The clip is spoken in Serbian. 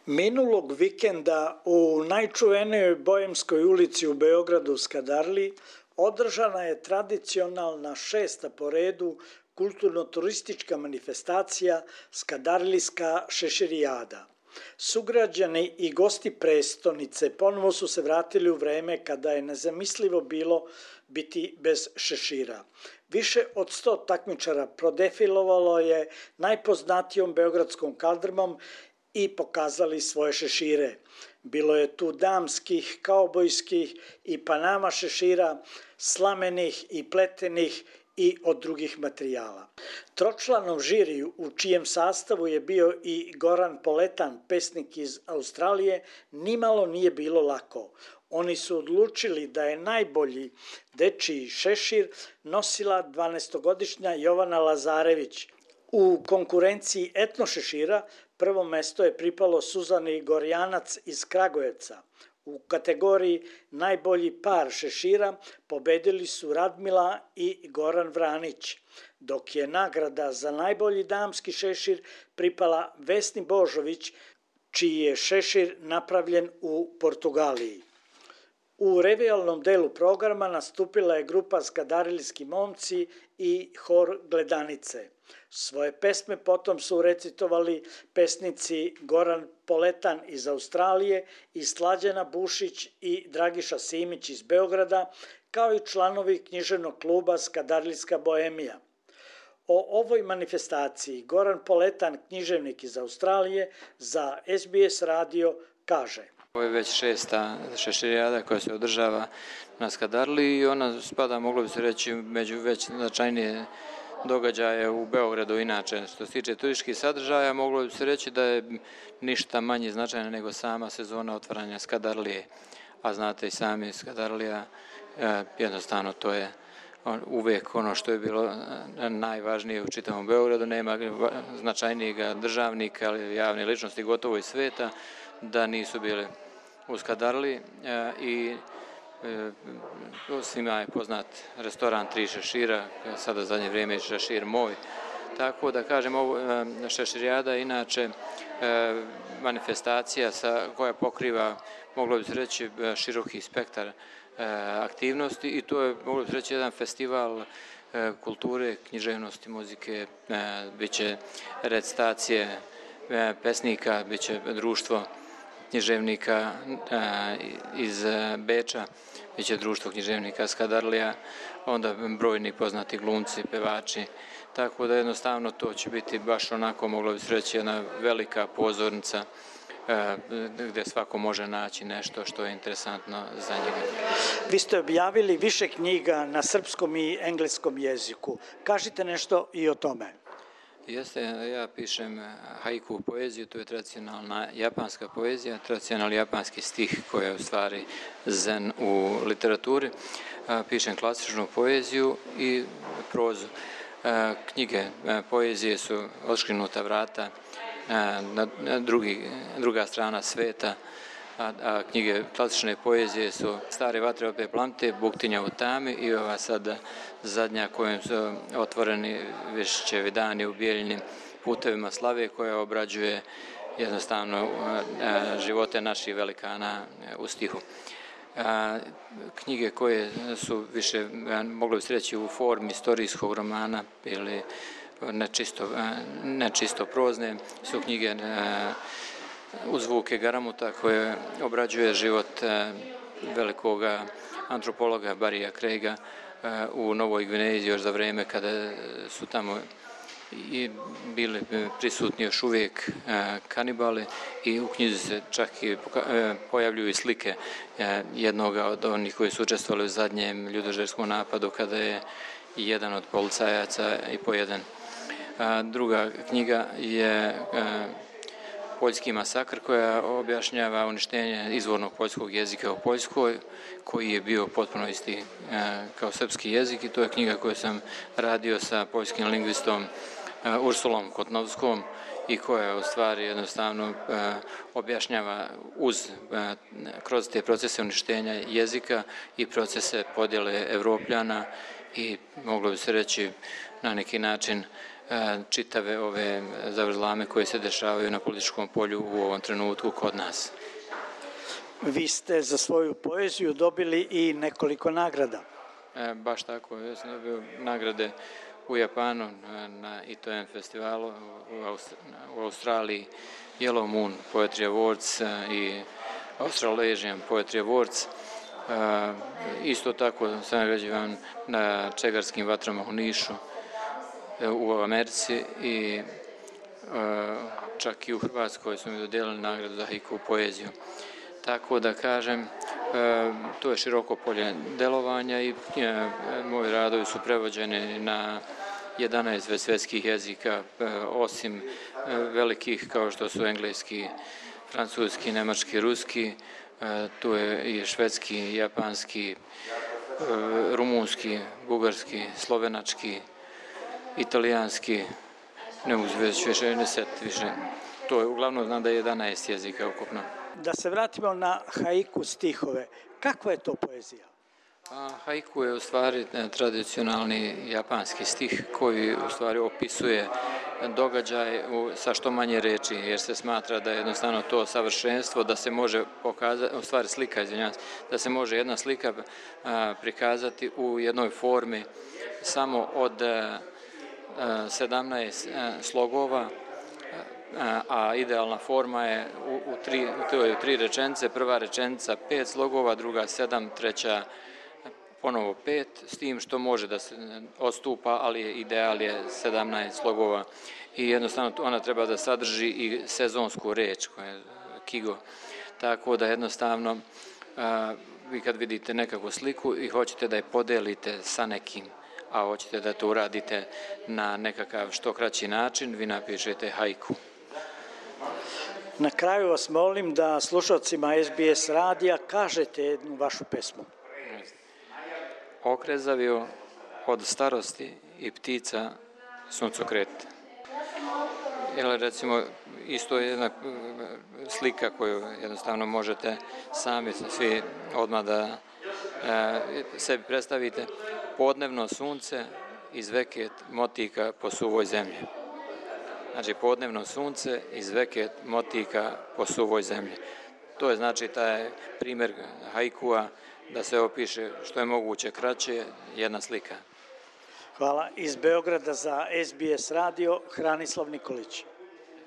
Minulog vikenda u najčuvenijoj Bojemskoj ulici u Beogradu Skadarliji održana je tradicionalna 6. po redu kulturno-turistička manifestacija Skadarlijska šeširijada. Sugrađani i gosti prestonice ponovo su se vratili u vreme kada je nezamislivo bilo biti bez šešira. Više od 100 takmičara prodefilovalo je najpoznatijom beogradskom kaldrmom i pokazali svoje šešire. Bilo je tu damskih, kaubojskih i panama šešira, slamenih i pletenih i od drugih materijala. Tročlanom žiriju, u čijem sastavu je bio i Goran Poletan, pesnik iz Australije, nimalo nije bilo lako. Oni su odlučili da je najbolji dečiji šešir nosila 12-godišnja Jovana Lazarević. U konkurenciji etno šešira prvo mesto je pripalo Suzani Gorjanac iz Kragujevca. U kategoriji najbolji par šešira pobedili su Radmila i Goran Vranić, dok je nagrada za najbolji damski šešir pripala Vesni Božović, čiji je šešir napravljen u Portugaliji. U revijalnom delu programa nastupila je grupa Skadarijski momci i hor Gledanice. Svoje pesme potom su recitovali pesnici Goran Poletan iz Australije i Slađana Bušić i Dragiša Simić iz Beograda, kao i članovi književnog kluba Skadarijska boemija. O ovoj manifestaciji Goran Poletan, književnik iz Australije, za SBS radio kaže: Ovo je već 6. šeširijada koja se održava na Skadarliji i ona spada, moglo bi se reći, među već značajnije događaje u Beogradu. Inače, što se tiče turističkih sadržaja, moglo bi se reći da je ništa manje značajna nego sama sezona otvaranja Skadarlije. A znate i sami, Skadarlija, jednostavno to je uvijek ono što je bilo najvažnije u čitavom Beogradu. Nema značajnijeg državnika ali javne ličnosti gotovo iz sveta da nisu bili u Skadarliji i svima je poznat restoran Tri šešira, sada zadnje vrijeme je šešir moj. Tako da kažem, ovo šeširijada inače manifestacija koja pokriva, moglo bi se reći, široki spektar aktivnosti i to je, moglo bi se reći, jedan festival kulture, književnosti, muzike, bit će recitacije pesnika, bit će društvo književnika iz Beča, bit će društvo književnika Skadarlija, onda brojni poznati glumci, pevači, tako da jednostavno to će biti baš onako, moglo bi se reći, jedna velika pozornica gdje svako može naći nešto što je interesantno za njega. Vi ste objavili više knjiga na srpskom i engleskom jeziku. Kažite nešto i o tome. Jeste, ja pišem haiku poeziju, to je tradicionalna japanska poezija, tradicionalni japanski stih koji je u stvari zen u literaturi. Pišem klasičnu poeziju i prozu. Knjige poezije su Odškrinuta vrata, druga strana sveta, a knjige klasične poezije su Stare vatre opet plamte, Buktinja u tami i ova sada zadnja kojom su otvoreni Višćevi dani u Bijeljinim putevima slave, koja obrađuje jednostavno živote naših velikana u stihu. Knjige koje su više, moglo bi se reći, u formi istorijskog romana ili nečisto prozne, su knjige Uz zvuke Garamuta, koje obrađuje život velikoga antropologa Barrya Craiga u Novoj Gvineji još za vrijeme kada su tamo i bili prisutni još uvijek kanibali i u knjizi se čak i pojavljuju i slike jednoga od onih koji su učestvovali u zadnjem ljudožderskom napadu kada je jedan od policajaca i pojeden. Druga knjiga je Poljski masakr, koja objašnjava uništenje izvornog poljskog jezika u Poljskoj, koji je bio potpuno isti kao srpski jezik, i to je knjiga koju sam radio sa poljskim lingvistom Ursulom Kotnovskom i koja u stvari jednostavno objašnjava kroz te procese uništenja jezika i procese podjele Evropljana i, moglo bi se reći, na neki način čitave ove zavrzlame koje se dešavaju na političkom polju u ovom trenutku kod nas. Vi ste za svoju poeziju dobili i nekoliko nagrada. Baš tako, ja sam dobio nagrade u Japanu na ITN festivalu, u Australiji Yellow Moon Poetry Awards i Australasian Poetry Awards. Isto tako sam nagrađivan na Čegarskim vatrama u Nišu, u Americi i čak i u Hrvatskoj su mi dodijelili nagradu za haiku poeziju. Tako da kažem, to je široko polje delovanja i moji radovi su prevođeni na 11 svjetskih jezika, osim velikih kao što su engleski, francuski, nemački, ruski, tu je i švedski, japanski, rumunski, bugarski, slovenački, italijanski, ne mogu već više, ne setiti više. To je uglavnom, znam da je 11 jezika ukupno. Da se vratimo na haiku stihove. Kakva je to poezija? Haiku je u stvari tradicionalni japanski stih koji u stvari opisuje događaj sa što manje reči, jer se smatra da je jednostavno to savršenstvo, da se može pokazati, u stvari slika, izvinjavam se, da se može jedna slika prikazati u jednoj formi samo od 17 slogova, a idealna forma je u tri rečenice, prva rečenica 5 slogova, druga 7, treća ponovo 5, s tim što može da se odstupa, ali ideal je 17 slogova i jednostavno ona treba da sadrži i sezonsku reč, koja je kigo, tako da jednostavno vi kad vidite nekakvu sliku i hoćete da je podelite sa nekim, a hoćete da to uradite na nekakav što kraći način, vi napišete haiku. Na kraju vas molim da slušalcima SBS radija kažete jednu vašu pesmu. Okrezavio od starosti i ptica suncokret. Ili recimo isto je jedna slika koju jednostavno možete sami svi odmah da sebi predstavite. Podnevno sunce izveket motika po suvoj zemlji. Znači podnevno sunce izveket motika po suvoj zemlji. To je znači taj primjer haikua da se opiše što je moguće kraće jedna slika. Hvala. Iz Beograda za SBS radio Hranislav Nikolić.